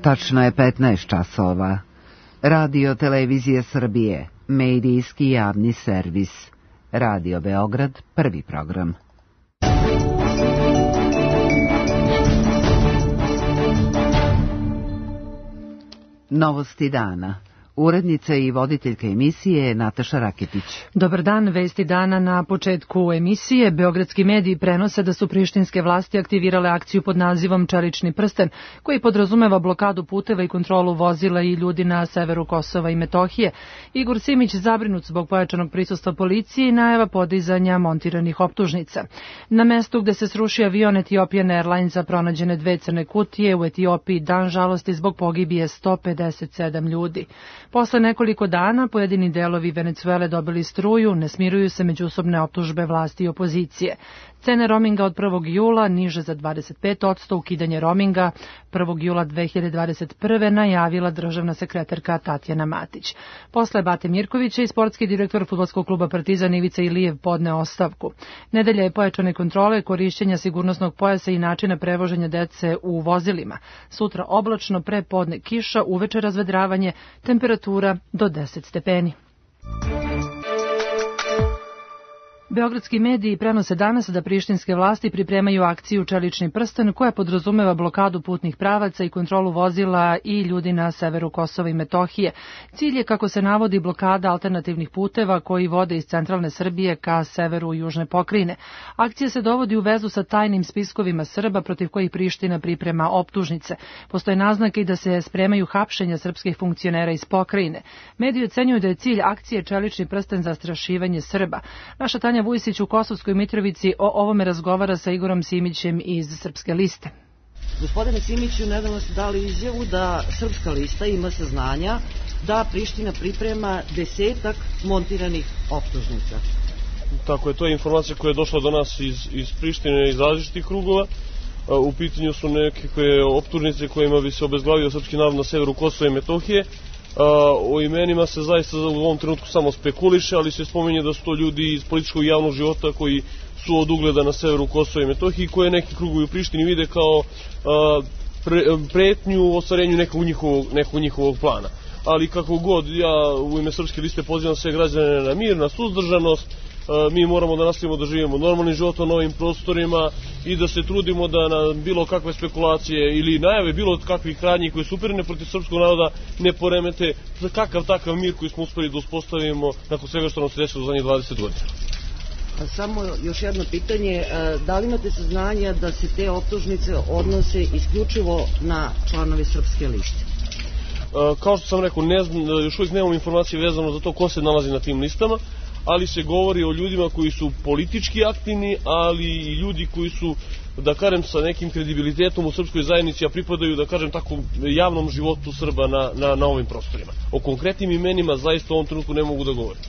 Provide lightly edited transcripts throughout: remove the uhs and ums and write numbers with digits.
Tačno je 15 časova. Radio Televizije Srbije, medijski javni servis. Radio Beograd, prvi program. Novosti dana. Urednica i voditeljka emisije je Nataša Raketić. Dobar dan, vesti dana na početku emisije. Beogradski mediji prenose da su prištinske vlasti aktivirale akciju pod nazivom Čelični prsten, koji podrazumeva blokadu puteva i kontrolu vozila i ljudi na severu Kosova i Metohije. Igor Simić zabrinut zbog pojačanog prisustva policije i najava podizanja montiranih optužnica. Na mestu gde se srušio avion Ethiopian Airlinesa pronađene 2 crne kutije u Etiopiji, dan žalosti zbog pogibije 157 ljudi. Posle nekoliko dana pojedini delovi Venecuele dobili struju, ne smiruju se međusobne optužbe vlasti i opozicije. Cene roaminga od 1. jula niže za 25%, ukidanje roaminga 1. jula 2021. najavila državna sekretarka Tatjana Matić. Posle Bate Mirkovića i sportski direktor fudbalskog kluba Partizan Ivica Ilijev podne ostavku. Nedelja je pojačane kontrole, korišćenja sigurnosnog pojasa i načina prevoženja dece u vozilima. Sutra oblačno, pre podne kiša, uveče razvedravanje, temperatura do 10 stepeni. Beogradski mediji prenose danas da prištinske vlasti pripremaju akciju Čelični prsten koja podrazumeva blokadu putnih pravaca i kontrolu vozila i ljudi na severu Kosova i Metohije. Cilj je, kako se navodi, blokada alternativnih puteva koji vode iz centralne Srbije ka severu južne pokrajine. Akcija se dovodi u vezu sa tajnim spiskovima Srba protiv kojih Priština priprema optužnice. Postoje naznake i da se spremaju hapšenja srpskih funkcionera iz pokrajine. Mediji ocenjuju da je cilj akcije Čelični prsten zastrašivanje Srba. Naša Tanja Vujsić u Kosovskoj Mitrovici o ovome razgovara sa Igorom Simićem iz Srpske liste. Gospodine Simiću, nedavno ste dali izjavu da Srpska lista ima saznanja da Priština priprema 10 montiranih optužnica. Tako je, to je informacija koja je došla do nas iz Prištine, iz različitih krugova. U pitanju su neke optužnice kojima bi se obezglavio srpski narod na severu Kosova i Metohije. O imenima se zaista u ovom trenutku samo spekuliše, ali se spominje da su to ljudi iz političkog i javnog života koji su od ugleda na severu Kosova i Metohije, koje neki krugovi u Prištini vide kao pretnju u ostvarenju nekog njihovog plana. Ali kako god, ja u ime Srpske liste pozivam sve građane na mir, na suzdržanost. Mi moramo da nastavimo da živimo normalnim životom na ovim prostorima i da se trudimo da na bilo kakve spekulacije ili najave bilo kakvih radnji koje su uperene protiv srpskog naroda ne poremete za kakav takav mir koji smo uspeli da uspostavimo nakon svega što nam se desilo za njih 20 godina. Samo još jedno pitanje, da li imate saznanja da se te optužnice odnose isključivo na članove Srpske liste? Kao što sam rekao, još uvijek nemamo informacije vezano za to ko se nalazi na tim listama, ali se govori o ljudima koji su politički aktivni, ali i ljudi koji su, da kažem, sa nekim kredibilitetom u srpskoj zajednici, a pripadaju, da kažem tako, javnom životu Srba na ovim prostorima. O konkretnim imenima zaista u ovom trenutku ne mogu da govorim.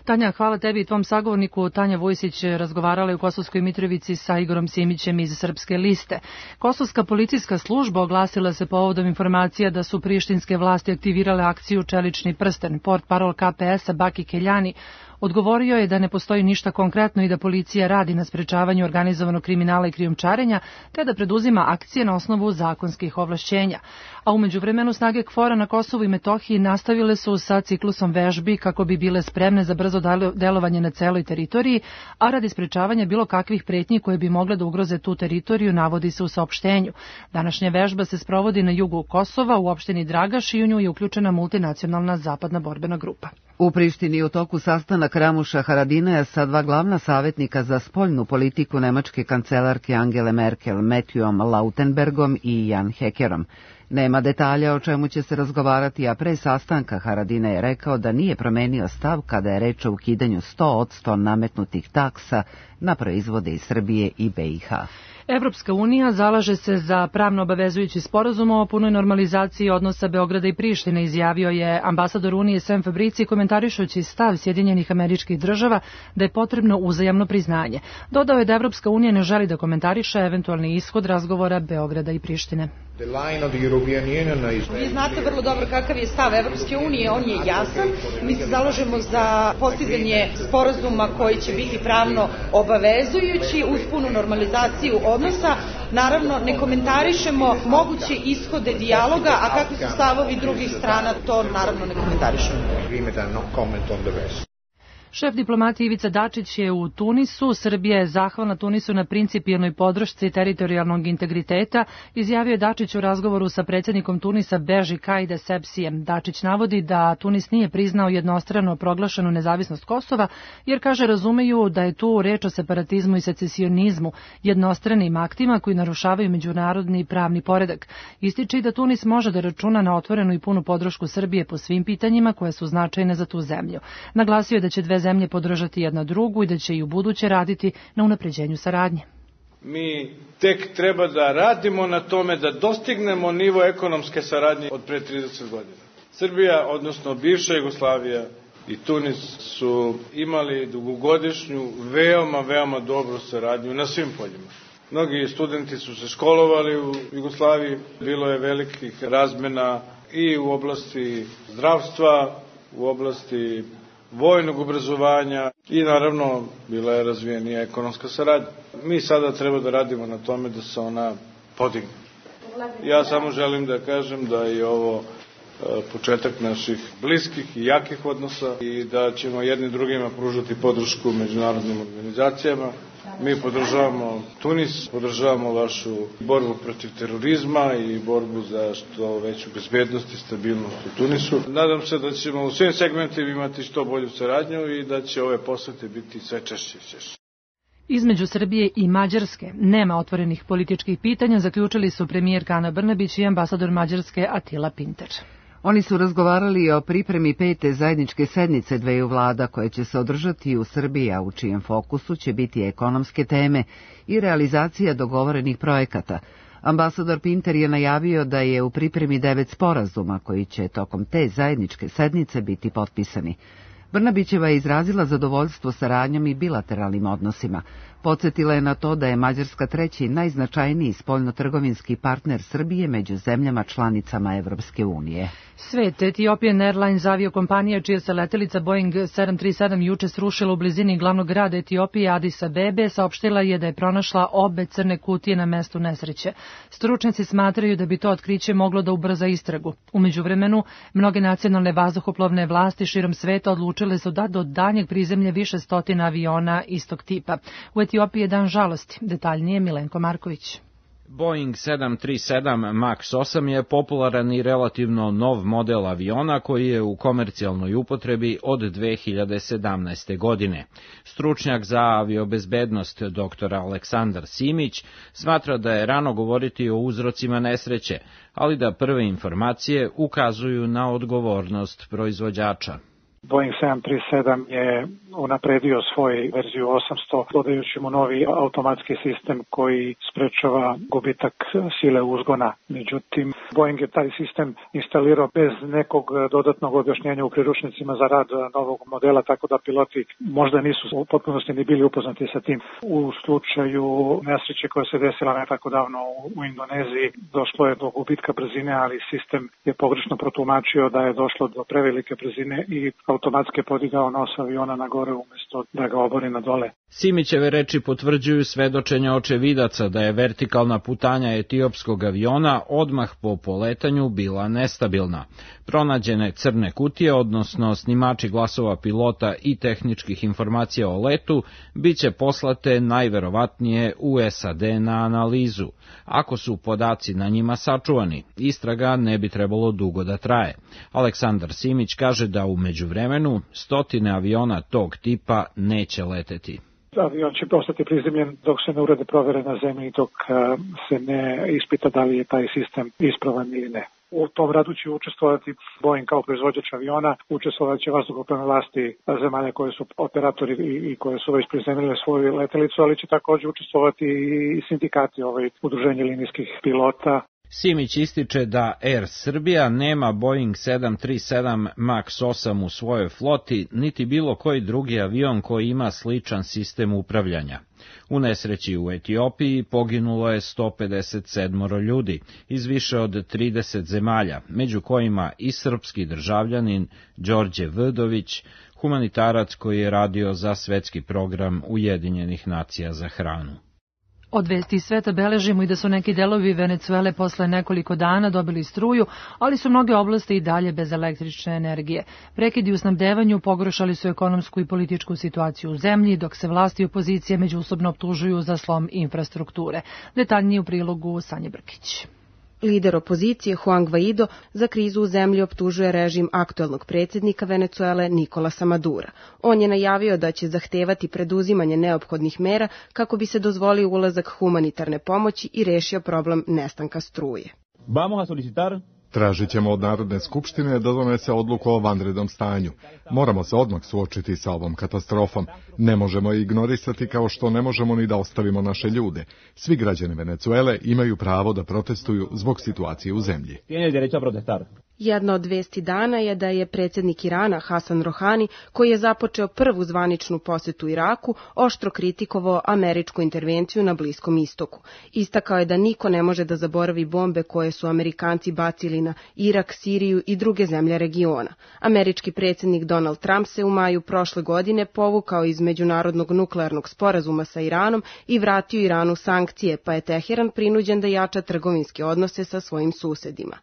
Tanja, hvala tebi i tvom sagovorniku. Tanja Vujsić razgovarala u Kosovskoj Mitrovici sa Igorom Simićem iz Srpske liste. Kosovska policijska služba oglasila se povodom informacija da su prištinske vlasti aktivirale akciju Čelični prsten. Portparol KPS-a Baki Keljani odgovorio je da ne postoji ništa konkretno i da policija radi na sprečavanju organizovanog kriminala i krijumčarenja, te da preduzima akcije na osnovu zakonskih ovlašćenja. A u međuvremenu snage KFOR-a na Kosovu i Metohiji nastavile su sa ciklusom vežbi kako bi bile spremne za brzo delovanje na celoj teritoriji, a radi sprečavanja bilo kakvih pretnji koje bi mogle da ugroze tu teritoriju, navodi se u saopštenju. Današnja vežba se sprovodi na jugu Kosova, u opštini Dragaš, i u nju je uključena multinacionalna zapadna borbena grupa. U Prištini u toku sastanak Ramuša Haradinaja sa 2 glavna savjetnika za spoljnu politiku nemačke kancelarke Angele Merkel, Matthewom Lautenbergom i Jan Hekerom. Nema detalja o čemu će se razgovarati, a pre sastanka Haradinaj je rekao da nije promenio stav kada je reč o ukidanju 100% nametnutih taksa na proizvode iz Srbije i BiH. Evropska unija zalaže se za pravno obavezujući sporazum o punoj normalizaciji odnosa Beograda i Prištine, izjavio je ambasador Unije Sam Fabrici, komentarišući stav Sjedinjenih Američkih Država da je potrebno uzajamno priznanje. Dodao je da Evropska unija ne želi da komentariše eventualni ishod razgovora Beograda i Prištine. Vi znate vrlo dobro kakav je stav Evropske unije, on je jasan. Mi se zalažemo za postizanje sporazuma koji će biti pravno obavezujući uz punu normalizaciju odnosa, Naravno, ne komentarišemo moguće ishode dijaloga, a kakvi su stavovi drugih strana, to naravno ne komentarišemo. Šef diplomatije Ivica Dačić je u Tunisu. Srbija je zahvalna Tunisu na principijelnoj podršci teritorijalnog integriteta, izjavio je Dačić u razgovoru sa predsjednikom Tunisa Beži Kaide Sepsijem. Dačić navodi da Tunis nije priznao jednostrano proglašenu nezavisnost Kosova, jer, kaže, razumeju da je tu reč o separatizmu i secesionizmu, jednostranim aktima koji narušavaju međunarodni pravni poredak. Ističe i da Tunis može da računa na otvorenu i punu podršku Srbije po svim pitanjima koje su značajne za tu zemlju. Naglasio je da će dve zemlje podržati jedna drugu i da će i u buduće raditi na unapređenju saradnje. Mi tek treba da radimo na tome da dostignemo nivo ekonomske saradnje od pre 30 godina. Srbija, odnosno bivša Jugoslavija i Tunis su imali dugogodišnju, veoma dobru saradnju na svim poljima. Mnogi studenti su se školovali u Jugoslaviji, bilo je velikih razmena i u oblasti zdravstva, u oblasti vojnog obrazovanja i naravno bila je razvijenija ekonomska saradnja. Mi sada treba da radimo na tome da se ona podigne. Ja samo želim da kažem da je ovo početak naših bliskih i jakih odnosa i da ćemo jedni drugima pružati podršku međunarodnim organizacijama. Mi podržavamo Tunis, podržavamo vašu borbu protiv terorizma i borbu za što veću bezbednost i stabilnost u Tunisu. Nadam se da ćemo u svim segmentima imati što bolju saradnju i da će ove posete biti sve češće i češće. Između Srbije i Mađarske nema otvorenih političkih pitanja, zaključili su premijerka Ana Brnabić i ambasador Mađarske Attila Pinter. Oni su razgovarali o pripremi 5. zajedničke sednice dveju vlada koje će se održati u Srbiji, a u čijem fokusu će biti ekonomske teme i realizacija dogovorenih projekata. Ambasador Pinter je najavio da je u pripremi 9 sporazuma koji će tokom te zajedničke sednice biti potpisani. Brnabićeva je izrazila zadovoljstvo saradnjom i bilateralnim odnosima. Podsjetila je na to da je Mađarska treći najznačajniji spoljnotrgovinski partner Srbije među zemljama članicama Evropske unije. Svet, Ethiopian Airlines aviokompanija čija se letelica Boeing 737 juče srušila u blizini glavnog grada Etiopije Adis Abebe, saopštila je da je pronašla obe crne kutije na mestu nesreće. Stručnjaci smatraju da bi to otkriće moglo da ubrza istragu. U međuvremenu, mnoge nacionalne vazduhoplovne vlasti širom sveta odlučile su da do daljnjeg prizemlje više stotina aviona istog tipa. U Etiopiji je dan žalosti. Detaljnije Milenko Marković. Boeing 737 MAX 8 je popularan i relativno nov model aviona koji je u komercijalnoj upotrebi od 2017. godine. Stručnjak za aviobezbednost dr. Aleksandar Simić smatra da je rano govoriti o uzrocima nesreće, ali da prve informacije ukazuju na odgovornost proizvođača. Boeing 737 je unapredio svoju verziju 800, dodajući mu novi automatski sistem koji sprečava gubitak sile uzgona. Međutim, Boeing je taj sistem instalirao bez nekog dodatnog objašnjenja u priručnicima za rad novog modela, tako da piloti možda nisu u potpunosti ni bili upoznati sa tim. U slučaju nesreće koja se desila ne tako davno u Indoneziji, došlo je do gubitka brzine, ali sistem je pogrešno protumačio da je došlo do prevelike brzine i automatski podigao nos aviona na gore umjesto da ga obori na dole. Simićeve reči potvrđuju svedočenja očevidaca da je vertikalna putanja etiopskog aviona odmah po poletanju bila nestabilna. Pronađene crne kutije, odnosno snimači glasova pilota i tehničkih informacija o letu, biće poslate najverovatnije u SAD na analizu. Ako su podaci na njima sačuvani, istraga ne bi trebalo dugo da traje. Aleksandar Simić kaže da u međuvremenu stotine aviona tog tipa neće leteti. Avion će ostati prizemljen dok se ne urade provere na zemlji, dok se ne ispita da li je taj sistem ispravan ili ne. U tom radu će učestvovati Boeing kao proizvođač aviona, učestvovat će vazduhoplovne vlasti zemalja koje su operatori i koje su već prizemljile svoju letelicu, ali će također učestvovati i sindikati, udruženje linijskih pilota. Simić ističe da Air Srbija nema Boeing 737 MAX 8 u svojoj floti, niti bilo koji drugi avion koji ima sličan sistem upravljanja. U nesreći u Etiopiji poginulo je 157 ljudi iz više od 30 zemalja, među kojima i srpski državljanin Đorđe Vdović, humanitarac koji je radio za svetski program Ujedinjenih nacija za hranu. Od vesti iz sveta beležimo i da su neki delovi Venecuele posle nekoliko dana dobili struju, ali su mnoge oblasti i dalje bez električne energije. Prekidi u snabdevanju pogoršali su ekonomsku i političku situaciju u zemlji, dok se vlasti i opozicije međusobno optužuju za slom infrastrukture. Detaljnije u prilogu Sanje Brkić. Lider opozicije Juan Guaido za krizu u zemlji optužuje režim aktuelnog predsjednika Venecuele Nicolasa Madura. On je najavio da će zahtevati preduzimanje neophodnih mera kako bi se dozvolio ulazak humanitarne pomoći i rešio problem nestanka struje. Tražit ćemo od Narodne skupštine da donese odluku o vanrednom stanju. Moramo se odmah suočiti sa ovom katastrofom. Ne možemo je ignorisati kao što ne možemo ni da ostavimo naše ljude. Svi građani Venecuele imaju pravo da protestuju zbog situacije u zemlji. Jedna od vesti dana je da je predsjednik Irana Hasan Rohani, koji je započeo prvu zvaničnu posetu Iraku, oštro kritikovao američku intervenciju na Bliskom istoku. Istakao je da niko ne može da zaboravi bombe koje su Amerikanci bacili na Irak, Siriju i druge zemlje regiona. Američki predsjednik Donald Trump se u maju prošle godine povukao iz međunarodnog nuklearnog sporazuma sa Iranom i vratio Iranu sankcije, pa je Teheran prinuđen da jača trgovinske odnose sa svojim susedima.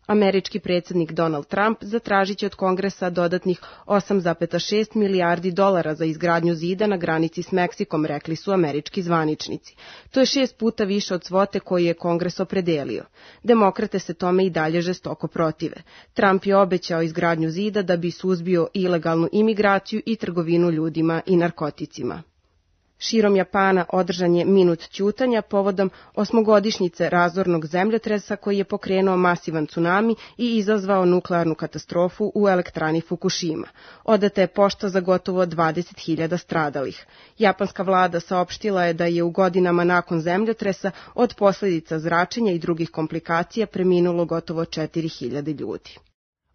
Američki predsjednik Donald Trump zatražit će od Kongresa dodatnih 8,6 milijardi dolara za izgradnju zida na granici s Meksikom, rekli su američki zvaničnici. To je 6 puta više od svote koju je Kongres opredelio. Demokrate se tome i dalje žestoko protive. Trump je obećao izgradnju zida da bi suzbio ilegalnu imigraciju i trgovinu ljudima i narkoticima. Širom Japana održan je minut ćutanja povodom 8-godišnjice razornog zemljotresa koji je pokrenuo masivan tsunami i izazvao nuklearnu katastrofu u elektrani Fukushima. Odata je pošta za gotovo 20.000 stradalih. Japanska vlada saopštila je da je u godinama nakon zemljotresa od posljedica zračenja i drugih komplikacija preminulo gotovo 4.000 ljudi.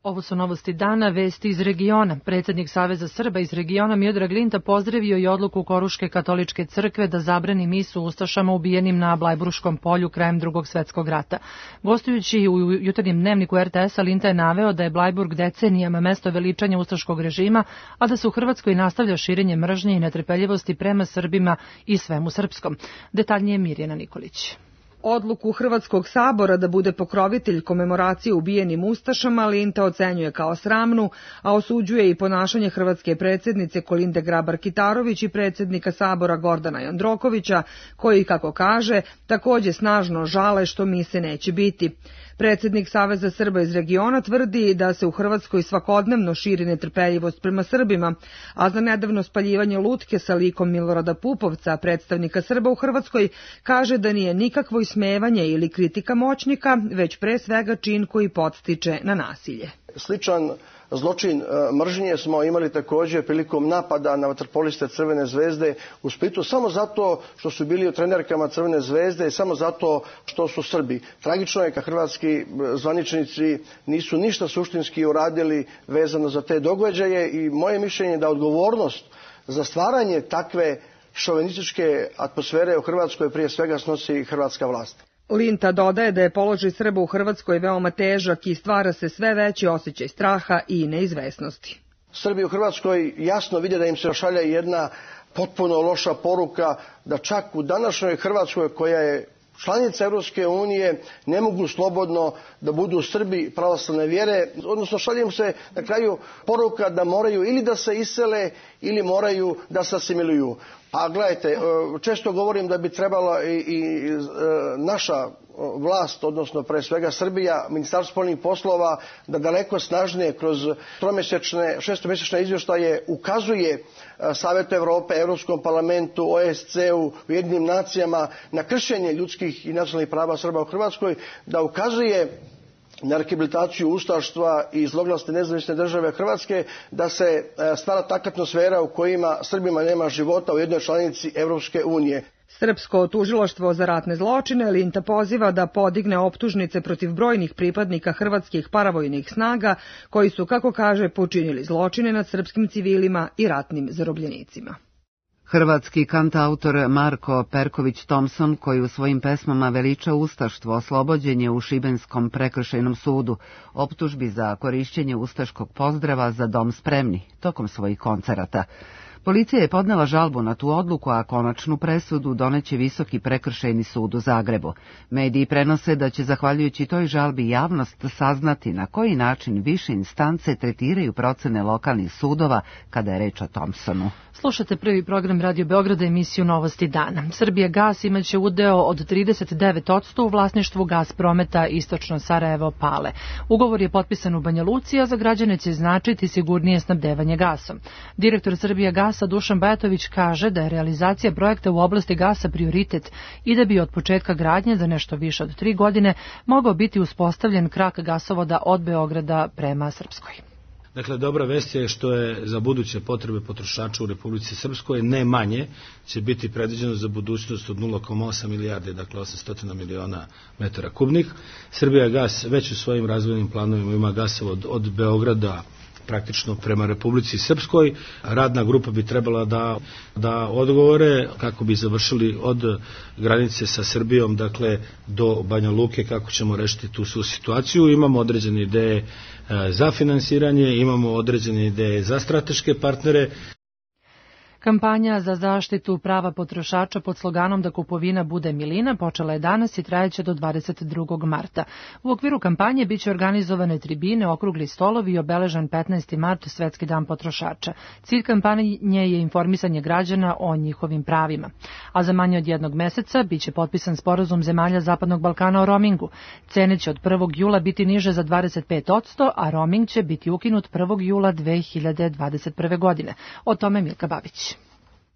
Ovo su novosti dana, vesti iz regiona. Predsjednik Saveza Srba iz regiona Miodrag Linta pozdravio i odluku Koruške katoličke crkve da zabrani misu ustašama ubijenim na Blajburškom polju krajem Drugog svjetskog rata. Gostujući u jutarnjem dnevniku RTS-a, Linta je naveo da je Blajburg decenijama mesto veličanja ustaškog režima, a da se u Hrvatskoj nastavlja širenje mržnje i netrpeljivosti prema Srbima i svemu srpskom. Detaljnije Mirjana Nikolić. Odluku Hrvatskog sabora da bude pokrovitelj komemoracije ubijenim ustašama Linta ocenjuje kao sramnu, a osuđuje i ponašanje hrvatske predsjednice Kolinde Grabar-Kitarović i predsjednika sabora Gordana Jandrokovića, koji, kako kaže, također snažno žale što mise neće biti. Predsjednik Saveza Srba iz regiona tvrdi da se u Hrvatskoj svakodnevno širi netrpeljivost prema Srbima, a za nedavno spaljivanje lutke sa likom Milorada Pupovca, predstavnika Srba u Hrvatskoj, kaže da nije nikakvo ismevanje ili kritika moćnika, već pre svega čin koji podstiče na nasilje. Sličan zločin mržnje smo imali također prilikom napada na vaterpoliste Crvene zvezde u Splitu, samo zato što su bili u trenerkama Crvene zvezde i samo zato što su Srbi. Tragično je kad hrvatski zvaničnici nisu ništa suštinski uradili vezano za te događaje i moje mišljenje je da odgovornost za stvaranje takve šovinističke atmosfere u Hrvatskoj prije svega snosi hrvatska vlast. Linta dodaje da je položaj Srba u Hrvatskoj veoma težak i stvara se sve veći osjećaj straha i neizvesnosti. Srbi u Hrvatskoj jasno vide da im se šalje jedna potpuno loša poruka, da čak u današnjoj Hrvatskoj, koja je članica Europske unije, ne mogu slobodno da budu Srbi pravoslavne vjere, odnosno šalje im se na kraju poruka da moraju ili da se isele ili moraju da se asimiluju. Pa gledajte, često govorim da bi trebala i naša vlast, odnosno pre svega Srbija, Ministarstvo spoljnih poslova, da daleko snažnije kroz šestomjesečne izvještaje ukazuje Savetu Evrope, Europskom parlamentu, OSCE-u, Ujedinjenim nacijama na kršenje ljudskih i nacionalnih prava Srba u Hrvatskoj, da ukazuje na rehabilitaciju ustaštva i zloglasne nezavisne države Hrvatske, da se stvara takva atmosfera u kojima Srbima nema života u jednoj članici Europske unije. Srpsko tužilaštvo za ratne zločine Linta poziva da podigne optužnice protiv brojnih pripadnika hrvatskih paravojnih snaga koji su, kako kaže, počinili zločine nad srpskim civilima i ratnim zarobljenicima. Hrvatski kantautor Marko Perković-Thompson, koji u svojim pesmama veliča ustaštvo, oslobođen je u Šibenskom prekršajnom sudu optužbi za korišćenje ustaškog pozdrava Za dom spremni tokom svojih koncerata. Policija je podnela žalbu na tu odluku, a konačnu presudu doneće Visoki prekršajni sud u Zagrebu. Mediji prenose da će zahvaljujući toj žalbi javnost saznati na koji način više instance tretiraju procene lokalnih sudova kada je reč o Thompsonu. Slušate prvi program Radio Beograda, emisiju Novosti dana. Srbijagas imaće udeo od 39% u vlasništvu Gasprometa Istočno Sarajevo Pale. Ugovor je potpisan u Banja Luci, a za građane će značiti sigurnije snabdevanje gasom. Direktor Srbijagasa Dušan Bajatović kaže da je realizacija projekta u oblasti gasa prioritet i da bi od početka gradnje za nešto više od 3 godine mogao biti uspostavljen krak gasovoda od Beograda prema Srpskoj. Dakle, dobra vest je što je za buduće potrebe potrošača u Republici Srpskoj ne manje će biti predviđeno za budućnost od 0,8 milijarde, dakle 800 miliona metara kubnih. Srbijagas već u svojim razvojnim planovima ima gasovod od Beograda praktično prema Republici Srpskoj. Radna grupa bi trebala da odgovore kako bi završili od granice sa Srbijom, dakle do Banja Luke, kako ćemo rešiti tu svu situaciju. Imamo određene ideje za finansiranje, imamo određene ideje za strateške partnere. Kampanja za zaštitu prava potrošača pod sloganom da kupovina bude milina počela je danas i trajeće do 22. marta. U okviru kampanje biće organizovane tribine, okrugli stolovi i obeležen 15. mart, Svetski dan potrošača. Cilj kampanje je informisanje građana o njihovim pravima. A za manje od 1 meseca biće potpisan sporazum zemalja Zapadnog Balkana o roamingu. Cene će od 1. jula biti niže za 25%, a roaming će biti ukinut 1. jula 2021. godine. O tome Milka Babić.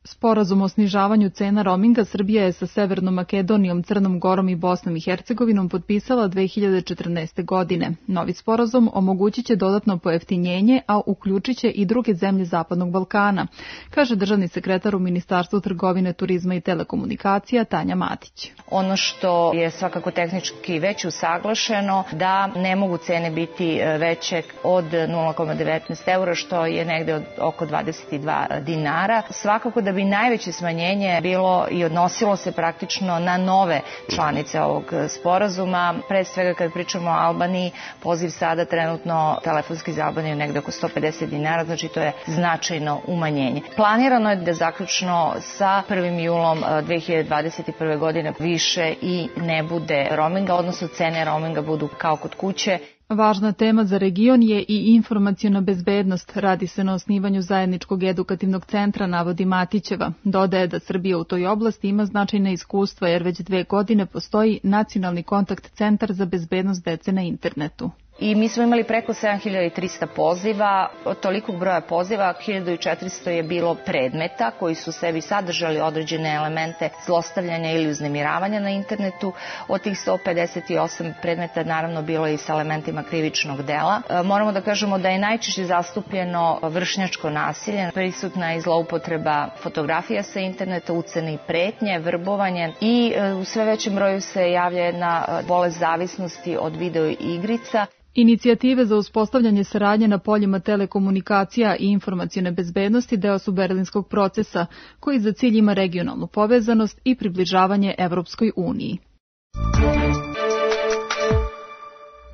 Sporazum o snižavanju cena roaminga Srbija je sa Severnom Makedonijom, Crnom Gorom i Bosnom i Hercegovinom potpisala 2014. godine. Novi sporazum omogućit će dodatno pojeftinjenje, a uključit će i druge zemlje Zapadnog Balkana, kaže državni sekretar u Ministarstvu trgovine, turizma i telekomunikacija Tanja Matić. Ono što je svakako tehnički već usaglašeno, da ne mogu cene biti veće od 0,19 eura, što je negde od oko 22 dinara. Svakako da bi najveće smanjenje bilo i odnosilo se praktično na nove članice ovog sporazuma. Pre svega kad pričamo o Albaniji, poziv sada trenutno telefonski za Albaniju negde oko 150 dinara, znači to je značajno umanjenje. Planirano je da zaključno sa 1. julom 2021. godine više i ne bude roaminga, odnosno cene roaminga budu kao kod kuće. Važna tema za region je i informaciona bezbednost. Radi se na osnivanju zajedničkog edukativnog centra, navodi Matićeva. Dodaje da Srbija u toj oblasti ima značajna iskustva jer već 2 godine postoji Nacionalni kontakt centar za bezbednost dece na internetu. I mi smo imali preko 7300 poziva, od tolikog broja poziva 1400 je bilo predmeta koji su sebi sadržali određene elemente zlostavljanja ili uznemiravanja na internetu. Od tih 158 predmeta naravno bilo je i sa elementima krivičnog dela. Moramo da kažemo da je najčešće zastupljeno vršnjačko nasilje, prisutna je zloupotreba fotografija sa interneta, ucene i pretnje, vrbovanje i u sve većem broju se javlja jedna bolest zavisnosti od video igrica. Inicijative za uspostavljanje saradnje na poljima telekomunikacija i informacione bezbednosti deo su Berlinskog procesa, koji za cilj ima regionalnu povezanost i približavanje Evropskoj uniji.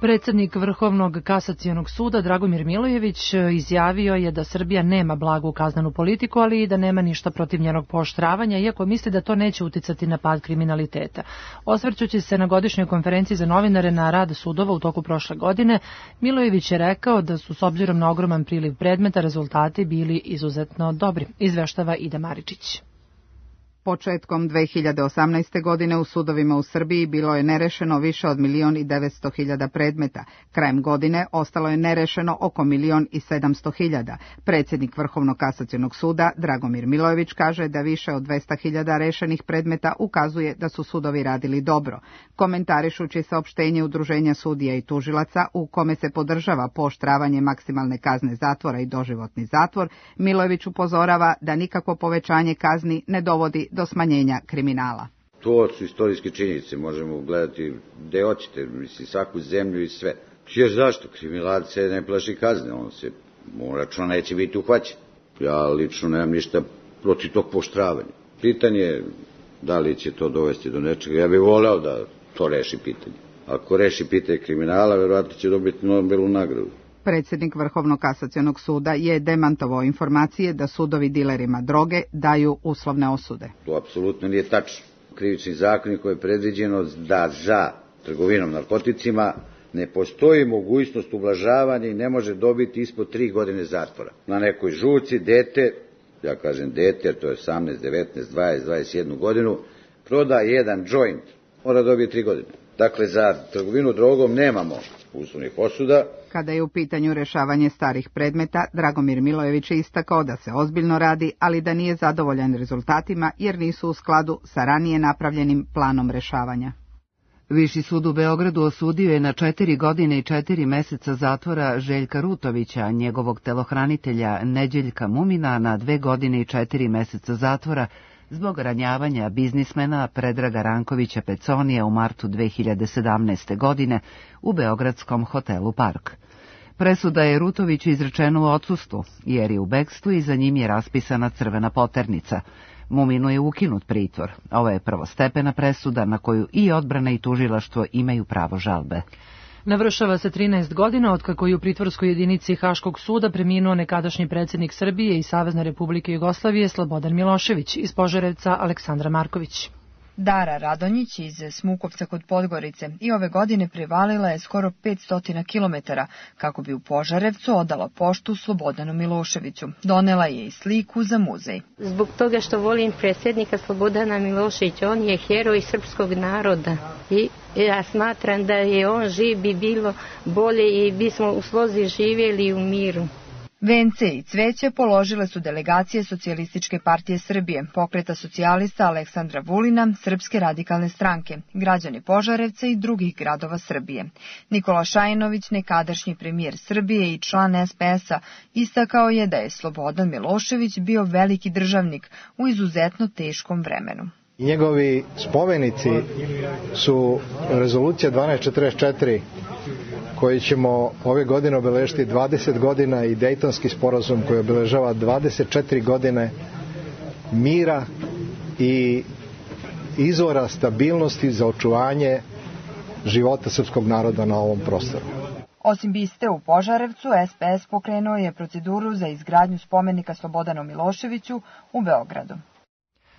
Predsednik Vrhovnog kasacionog suda Dragomir Milojević izjavio je da Srbija nema blagu kaznenu politiku, ali i da nema ništa protiv njenog pooštravanja, iako misli da to neće uticati na pad kriminaliteta. Osvrćući se na godišnjoj konferenciji za novinare na rad sudova u toku prošle godine, Milojević je rekao da su s obzirom na ogroman priliv predmeta rezultati bili izuzetno dobri, izveštava Ida Maričić. Početkom 2018. godine u sudovima u Srbiji bilo je nerešeno više od 1.900.000 predmeta. Krajem godine ostalo je nerešeno oko 1.700.000. Predsjednik Vrhovnog kasacionog suda Dragomir Milojević kaže da više od 200.000 rešenih predmeta ukazuje da su sudovi radili dobro. Komentarišući saopštenje Udruženja sudija i tužilaca u kome se podržava pooštravanje maksimalne kazne zatvora i doživotni zatvor, Milojević upozorava da nikakvo povećanje kazni ne dovodi do smanjenja kriminala. To su istorijske činjenice, možemo gledati gde hoćete, mislim, svaku zemlju i sve. Jer zašto? Kriminalac se ne plaši kazne, on računa neće biti uhvaćen. Ja lično nemam ništa protiv tog pooštravanja. Pitanje je da li će to dovesti do nečega. Ja bih voleo da to reši pitanje. Ako reši pitanje kriminala, verovatno će dobiti Nobelovu nagradu. Predsjednik Vrhovnog kasacionog suda je demantovao informacije da sudovi dilerima droge daju uslovne osude. To apsolutno nije tačno. Krivični zakonik koji je predviđeno da za trgovinom narkoticima ne postoji mogućnost ublažavanja i ne može dobiti ispod 3 godine zatvora. Na nekoj žurci dete, ja kažem dete, jer to je 18, 19, 20, 21 godinu, proda jedan joint, mora dobiti 3 godine. Dakle, za trgovinu drogom nemamo uslovnih osuda. Kada je u pitanju rešavanje starih predmeta, Dragomir Milojević je istakao da se ozbiljno radi, ali da nije zadovoljan rezultatima jer nisu u skladu sa ranije napravljenim planom rešavanja. Viši sud u Beogradu osudio je na 4 godine i 4 meseca zatvora Željka Rutovića, njegovog telohranitelja Neđeljka Mumina na 2 godine i 4 meseca zatvora zbog ranjavanja biznismena Predraga Rankovića Peconija u martu 2017. godine u beogradskom hotelu Park. Presuda je Rutoviću izrečena u odsustvu, jer je u bekstvu i za njim je raspisana crvena poternica. Muminu je ukinut pritvor. Ovo je prvostepena presuda na koju i odbrana i tužilaštvo imaju pravo žalbe. Navršava se 13 godina otkako je u pritvorskoj jedinici Haškog suda preminuo nekadašnji predsjednik Srbije i Savezne Republike Jugoslavije Slobodan Milošević, iz Požarevca Aleksandra Marković. Dara Radonjić iz Smukovca kod Podgorice i ove godine prevalila je skoro 500 km kako bi u Požarevcu odala poštu Slobodanu Miloševiću. Donela je i sliku za muzej. Zbog toga što volim predsjednika Slobodana Miloševića, on je heroj srpskog naroda i ja smatram da je on živ bi bilo bolje i bismo u slozi živjeli u miru. Vence i cveće položile su delegacije Socijalističke partije Srbije, Pokreta socijalista Aleksandra Vulina, Srpske radikalne stranke, građani Požarevca i drugih gradova Srbije. Nikola Šajinović, nekadašnji premijer Srbije i član SPS-a, istakao je da je Slobodan Milošević bio veliki državnik u izuzetno teškom vremenu. Njegovi spomenici su rezolucija 1244, koji ćemo ove godine obeležiti 20 godina i Dejtonski sporazum koji obeležava 24 godine mira i izvora stabilnosti za očuvanje života srpskog naroda na ovom prostoru. Osim biste u Požarevcu, SPS pokrenuo je proceduru za izgradnju spomenika Slobodanu Miloševiću u Beogradu.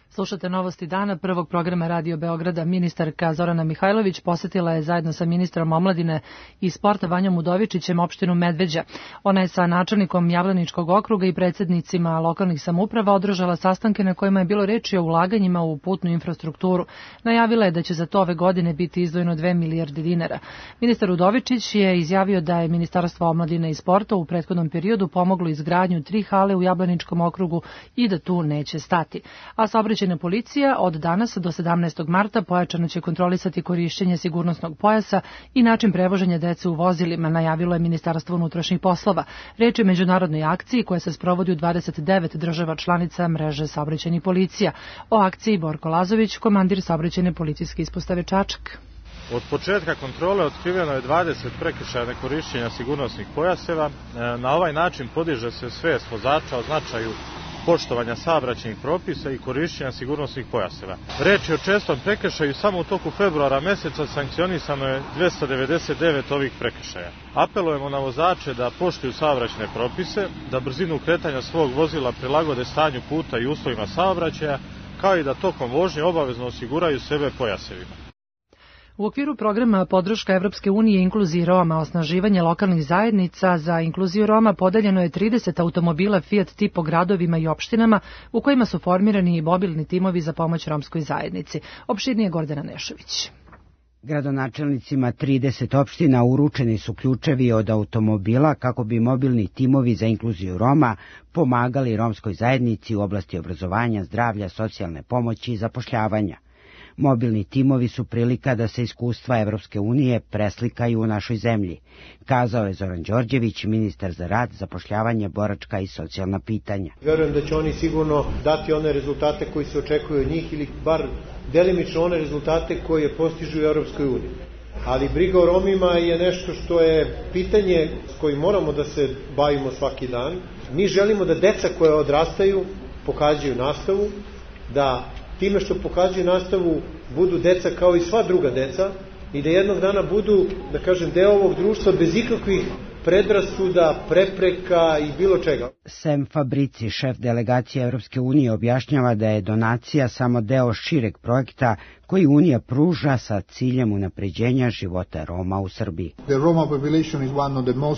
Slušate Novosti dana prvog programa Radio Beograda. Ministarka Zorana Mihajlović posetila je zajedno sa ministrom omladine i sporta Vanjom Udovičićem opštinu Medveđa. Ona je sa načelnikom Jablaničkog okruga i predsjednicima lokalnih samouprava održala sastanke na kojima je bilo reči o ulaganjima u putnu infrastrukturu. Najavila je da će za to ove godine biti izdvojeno 2 milijarde dinara. Ministar Udovičić je izjavio da je Ministarstvo omladine i sporta u prethodnom periodu pomoglo izgradnju 3 hale u Jablaničkom okrugu i da tu neće stati. A saobraćajna policija od danas do 17. marta pojačano će kontrolisati korišćenje sigurnosnog pojasa i način prevoženja dece u vozilima, najavilo je Ministarstvo unutrašnjih poslova. Reč je o međunarodnoj akciji koja se sprovodi u 29 država članica mreže saobraćajnih policija. O akciji Borko Lazović, komandir saobraćajne policijske ispostave Čačak. Od početka kontrole otkriveno je 20 prekršaja nekorišćenja sigurnosnih pojaseva. Na ovaj način podiže se svest vozača o značaju poštovanja saobraćajnih propisa i korišćenja sigurnosnih pojaseva. Reč je o čestom prekršaju, samo u toku februara meseca sankcionisano je 299 ovih prekršaja. Apelujemo na vozače da poštuju saobraćajne propise, da brzinu kretanja svog vozila prilagode stanju puta i uslovima saobraćaja, kao i da tokom vožnje obavezno osiguraju sebe pojasevima. U okviru programa podrška Evropske unije inkluziji Roma, osnaživanje lokalnih zajednica za inkluziju Roma podeljeno je 30 automobila Fiat Tipo gradovima i opštinama u kojima su formirani i mobilni timovi za pomoć romskoj zajednici. Opširnije Gordana Nešović. Gradonačelnicima 30 opština uručeni su ključevi od automobila kako bi mobilni timovi za inkluziju Roma pomagali romskoj zajednici u oblasti obrazovanja, zdravlja, socijalne pomoći i zapošljavanja. Mobilni timovi su prilika da se iskustva Evropske unije preslikaju u našoj zemlji, kazao je Zoran Đorđević, ministar za rad, zapošljavanje, boračka i socijalna pitanja. Verujem da će oni sigurno dati one rezultate koji se očekuju od njih ili bar delimično one rezultate koje postižu u Evropskoj uniji. Ali briga o Romima je nešto što je pitanje s kojim moramo da se bavimo svaki dan. Mi želimo da deca koja odrastaju pohađaju nastavu, da time što pohađaju nastavu budu deca kao i sva druga deca i da jednog dana budu, da kažem, deo ovog društva bez ikakvih predrasuda, prepreka i bilo čega. Sam Fabrici, šef delegacije Evropske unije, objašnjava da je donacija samo deo šireg projekta koji Unija pruža sa ciljem unapređenja života Roma u Srbiji.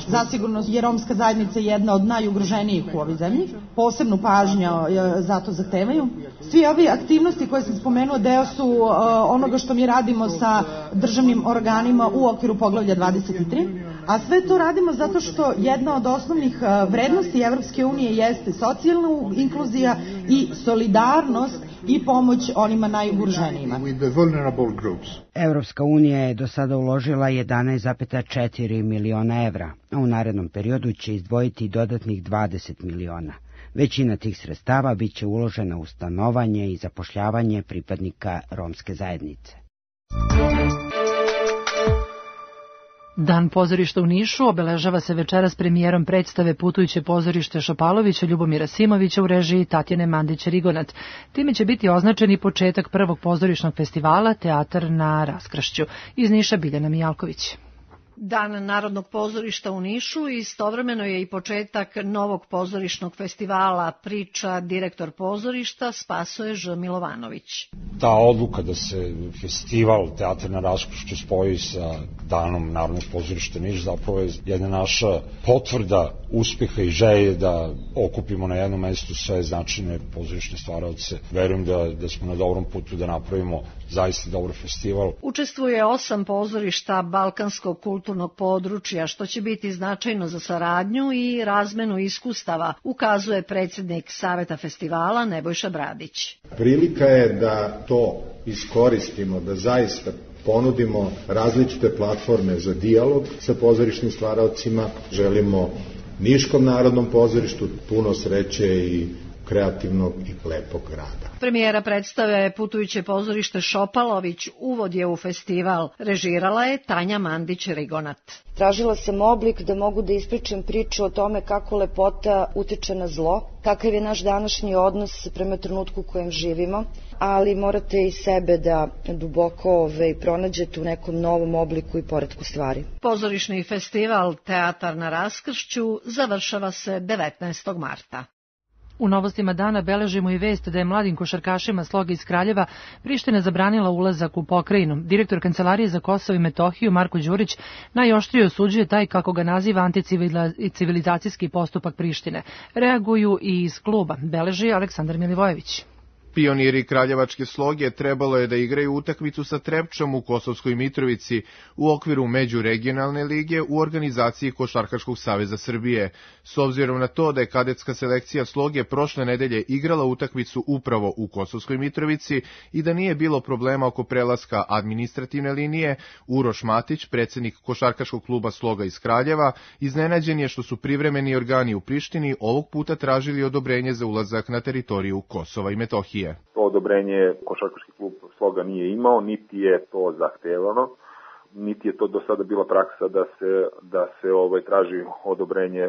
Zasigurno je romska zajednica jedna od najugroženijih u ovoj zemlji. Posebnu pažnju zato zahtevaju. Svi ovi aktivnosti koje sam spomenuo deo su onoga što mi radimo sa državnim organima u okviru poglavlja 23. A sve to radimo zato što jedna od osnovnih vrednosti Evropske unije jeste socijalna inkluzija i solidarnost i pomoć onima najugroženijima. Evropska unija je do sada uložila 11,4 miliona evra, a u narednom periodu će izdvojiti dodatnih 20 miliona. Većina tih sredstava biće uložena u stanovanje i zapošljavanje pripadnika romske zajednice. Dan pozorišta u Nišu obeležava se večeras premijerom predstave Putujuće pozorište Šopalovića Ljubomira Simovića u režiji Tatjane Mandić-Rigonat. Time će biti označen i početak prvog pozorišnog festivala Teatar na raskršću. Iz Niša Biljana Mijalković. Dan Narodnog pozorišta u Nišu istovremeno je i početak novog pozorišnog festivala, priča direktor pozorišta Spasoje Ž. Milovanović. Ta odluka da se festival Teatar na raskršću spoji sa Danom Narodnog pozorišta Niš zapravo je jedna naša potvrda uspeha i želje da okupimo na jednom mestu sve značajne pozorišne stvaraoce. Verujem da smo na dobrom putu da napravimo zaista dobar festival. Učestvuje 8 pozorišta balkanskog kulturnog područja, što će biti značajno za saradnju i razmenu iskustava, ukazuje predsjednik Saveta festivala Nebojša Bradić. Prilika je da to iskoristimo, da zaista ponudimo različite platforme za dijalog sa pozorišnim stvaraocima. Želimo Niškom narodnom pozorištu puno sreće i kreativnog i lepog rada. Premijera predstave Putujuće pozorište Šopalović uvod je u festival. Režirala je Tanja Mandić-Rigonat. Tražila sam oblik da mogu da ispričam priču o tome kako lepota utiče na zlo, kakav je naš današnji odnos prema trenutku u kojem živimo, ali morate i sebe da duboko pronađete u nekom novom obliku i poretku stvari. Pozorišni festival Teatar na raskršću završava se 19. marta. U novostima dana beležimo i vest da je mladim košarkašima Sloga iz Kraljeva Priština zabranila ulazak u pokrajinu. Direktor Kancelarije za Kosovo i Metohiju Marko Đurić najoštrije osuđuje taj, kako ga naziva, anticivilizacijski postupak Prištine. Reaguju i iz kluba, beleži Aleksandar Milivojević. Pioniri kraljevačke Sloge trebalo je da igraju utakmicu sa Trepčom u Kosovskoj Mitrovici u okviru međuregionalne lige u organizaciji Košarkaškog saveza Srbije. S obzirom na to da je kadetska selekcija Sloge prošle nedelje igrala utakmicu upravo u Kosovskoj Mitrovici i da nije bilo problema oko prelaska administrativne linije, Uroš Matić, predsjednik Košarkaškog kluba Sloga iz Kraljeva, iznenađen je što su privremeni organi u Prištini ovog puta tražili odobrenje za ulazak na teritoriju Kosova i Metohije. To odobrenje Košarkaški klub Sloga nije imao, niti je to zahtevano, niti je to do sada bila praksa da se traži odobrenje,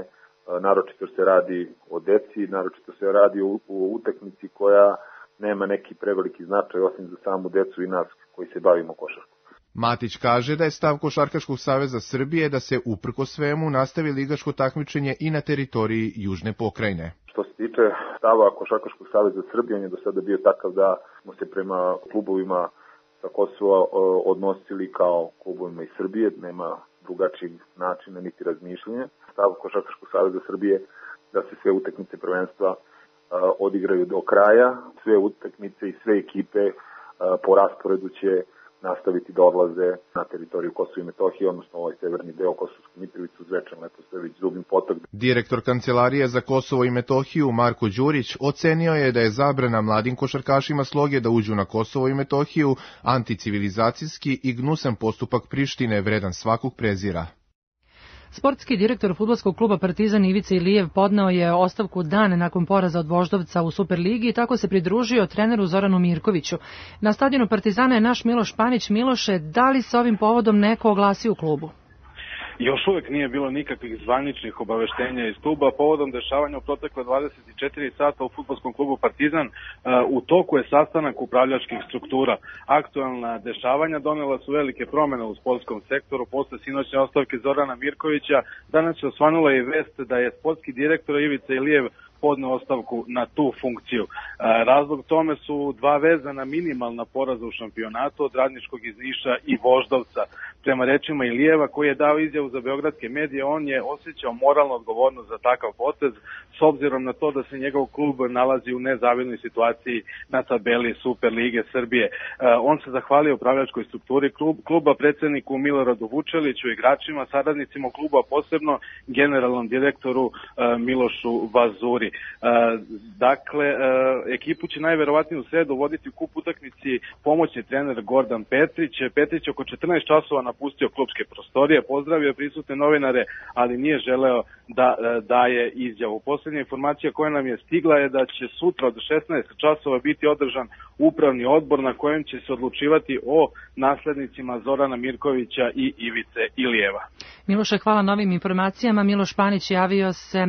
naročito se radi o deci, naročito se radi o utakmici koja nema neki preveliki značaj osim za samu decu i nas koji se bavimo košarkom. Matić kaže da je stav Košarkaškog saveza Srbije da se uprko svemu nastavi ligaško takmičenje i na teritoriji Južne pokrajine. Što se tiče stava Košarkaškog saveza Srbije, on je do sada bio takav da smo se prema klubovima sa Kosova odnosili kao klubovima iz Srbije, nema drugačijeg načina niti razmišljanja. Stav Košarkaškog saveza Srbije da se sve utakmice prvenstva odigraju do kraja, sve utakmice i sve ekipe po rasporedu će nastaviti da odlaze na teritoriju Kosova i Metohije, odnosno ovaj severni deo Kosovsku Mitrovicu, Zvečan, Leposavić, Zubin Potok. Direktor Kancelarije za Kosovo i Metohiju Marko Đurić ocenio je da je zabrana mladim košarkašima Sloge da uđu na Kosovo i Metohiju anticivilizacijski i gnusan postupak Prištine vredan svakog prezira. Sportski direktor fudbalskog kluba Partizan Ivica Ilijev podneo je ostavku dan nakon poraza od Voždovca u Superligi i tako se pridružio treneru Zoranu Mirkoviću. Na stadionu Partizana je naš Miloš Panić. Miloše, da li se ovim povodom neko oglasi u klubu? Još uvek nije bilo nikakvih zvaničnih obaveštenja iz kluba povodom dešavanja u protekle 24 sata u fudbalskom klubu Partizan. U toku je sastanak upravljačkih struktura. Aktualna dešavanja donela su velike promene u sportskom sektoru posle sinoćne ostavke Zorana Mirkovića. Danas je osvanula i vest da je sportski direktor Ivica Ilijev podneo ostavku na tu funkciju. Razlog tome su dva vezana minimalna poraza u šampionatu od Radničkog iz Niša i Voždovca. Prema rečima Ilijeva, koji je dao izjavu za beogradske medije, on je osjećao moralnu odgovornost za takav potez, s obzirom na to da se njegov klub nalazi u nezavidnoj situaciji na tabeli Super lige Srbije. On se zahvalio upravljačkoj strukturi kluba, predsedniku Miloradu Vučeliću, igračima, saradnicima kluba, posebno generalnom direktoru Milošu Vazuri. Dakle, ekipu će najverovatnije u sredu voditi u kup utakmici pomoćni trener Gordan Petrić. Petrić oko 14 časova napustio klubske prostorije, pozdravio prisutne novinare, ali nije želeo da daje izjavu. Poslednja informacija koja nam je stigla je da će sutra od 16 časova biti održan upravni odbor na kojem će se odlučivati o naslednicima Zorana Mirkovića i Ivice Ilijeva. Miloše, hvala na ovim informacijama. Miloš Panić javio se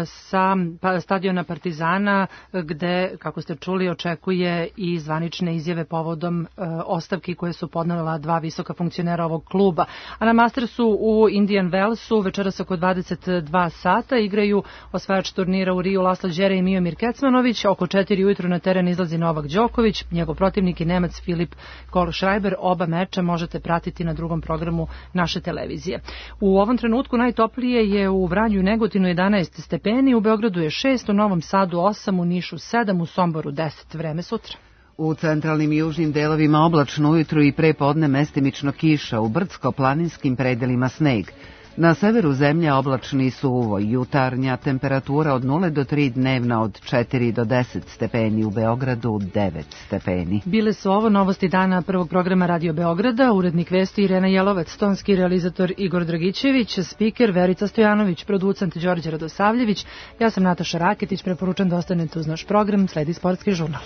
sa stadiona Partizana, gde, kako ste čuli, očekuje i zvanične izjave povodom ostavki koje su podnela dva visoka funkcionera ovog kluba. A na Mastersu u Indian Wellsu večeras oko 22 sata igraju osvajač turnira u Riju Laslo Đere i Miomir Kecmanović. Oko 4 ujutru na teren izlazi Novak Đoković, njegov protivnik je Nemac Filip Kohlschreiber. Oba meča možete pratiti na drugom programu naše televizije. U ovom trenutku najtoplije je u Vranju i Negotinu 11 stepeni, u Beogradu je 6, u Novom Sadu 8, u Nišu 7, u Somboru 10. Vreme sutra. U centralnim i južnim delovima oblačno ujutru i pre podne mestimično kiša, u brdsko-planinskim predelima sneg. Na severu zemlje oblačni suvo, jutarnja temperatura od 0 do 3, dnevna od 4 do 10 stepeni, u Beogradu 9 stepeni. Bile su ovo novosti dana prvog programa Radio Beograda, urednik vesti Irena Jelovac, tonski realizator Igor Dragićević, spiker Verica Stojanović, producent Đorđe Radosavljević. Ja sam Nataša Raketić, preporučam da ostanete uz naš program, sledi sportski žurnal.